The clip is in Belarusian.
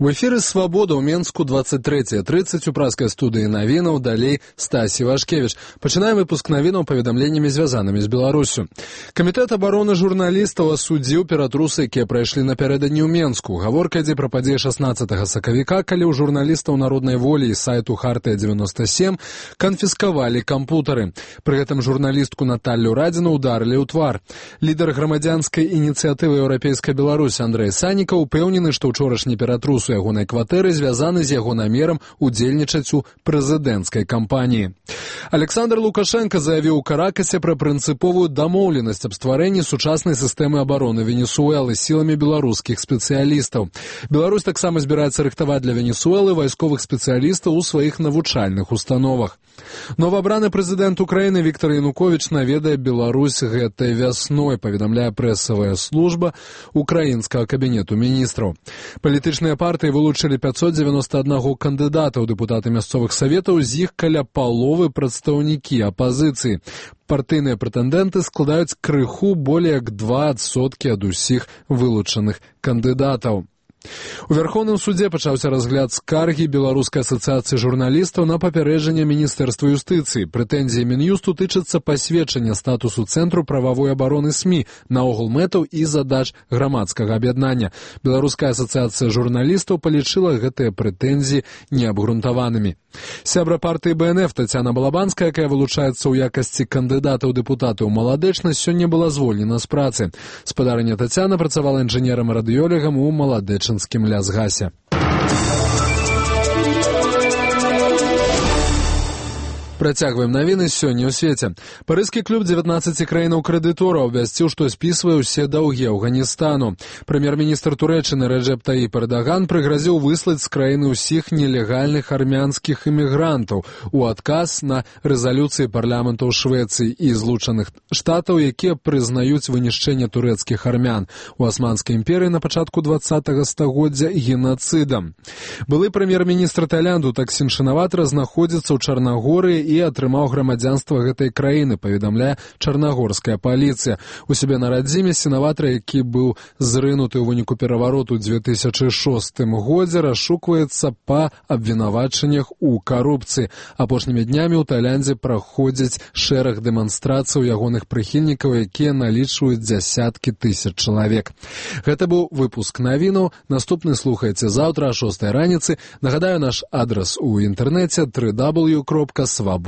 В эфіры «Свабода» ў Менску 23:30 у праскай студыі навінаў, далей Стасі Вашкевіч. Пачынаем выпуск навінаў паведамленнямі, звязанымі з Беларусю. Камітэт абароны журналістаў асудзіў ператрусы, якія прайшлі напярэдадні ў Менску. Гаворка ідзе пра падзеі 16 сакавіка, калі ў журналістаў народнай волі і сайту «Хартыя-97» канфіскавалі кампутары. Пры гэтым журналістку Наталлю Радзіну ударылі ў твар. Лідар грамадзянскай ініцыятывы «Еўрапейская Беларусь» Андрэй Саніка ўпэўнены, што ўчорашні ператрус у ягонай кватэры звязаны з яго намерам удзельнічаць у прэзідэнцкай кампаніі. Александр Лукашенко заявіў у Каракасе пра прынцыповую дамоўленасць аб стварэнні сучаснай сістэмы абароны Венесуэлы сіламі беларускіх спецыялістаў. Беларусь таксама збіраецца рыхтаваць для Венесуэлы вайсковых спецыялістаў у сваіх навучальных установах. Новаабраны прэзідэнт Украіны Віктор Януковіч наведае Беларусь гэтай вясной, паведамляе прэсавая служба украінскага кабінету міністраў. Палітычныя партыі вылучылі 591 кандыдата ў дэпутаты мясцовых саветаў, з іх каля паловы прадстаўнікі апазіцыі. Партыйныя прэтэндэнты складаюць крыху болей як 2% ад усіх вылучаных кандыдатаў. У Вярхоўным судзе пачаўся разгляд скаргі Беларускай асацыяцыі журналістаў на папярэджанне Міністэрства юстыцыі. Прэтэнзіі Мін'юсту тычацца пасведчання статусу Цэнтру прававой абароны СМІ, наогул мэтаў і задач грамадскага аб'яднання. Беларуская асацыяцыя журналістаў палічыла гэтыя прэтэнзіі неабгрунтаванымі. Сябра партыі БНФ Тацяна Балабанская, якая вылучаецца ў якасці кандыдата ў дэпутаты ў маладэчнасць, сёння была звольнена з працы. Спадарыня Тацяна працавала інжынерам-радыёлегам у маладэчынскім лясгасе. Працягваем навіны сёння ў свеце. Парыжскі клуб 19 краінаў-крэдытораў абвясціў, што спісвае ўсе даўгі Афганістану. Прэм'ер-міністр Турэччыны Рэджэп Таіп Эрдаган прыгразіў выслаць з краіны ўсіх нелегальных армянскіх імігрантаў у адказ на рэзалюцыі парламентаў Швецыі і Злучаных Штатаў, якія прызнаюць вынішчэнне турэцкіх армян у Асманскай імперыі на пачатку 20-го стагоддзя генацыдам. Былы прэм'ер-міністр Таіланду Таксін Шынаватра знаходзіцца ў Чарнагорыі і атрымаў грамадзянства гэтай краіны, паведамляе чарнагорская паліцыя. У сябе на радзіме Сінаватра, які быў зрынуты ў выніку перавароту ў 2006 годзе, расшукваецца па абвінавачаннях у карупцыі. Апошнімі днямі ў Таіландзе праходзяць шэраг дэманстрацый ягоных прыхільнікаў, якія налічваюць дзясяткі тысяч чалавек. Гэта быў выпуск навінаў. Наступны слухайце заўтра о 6 раніцы. Нагадаю, наш адрас у інтэрнэце www.swaboda.org.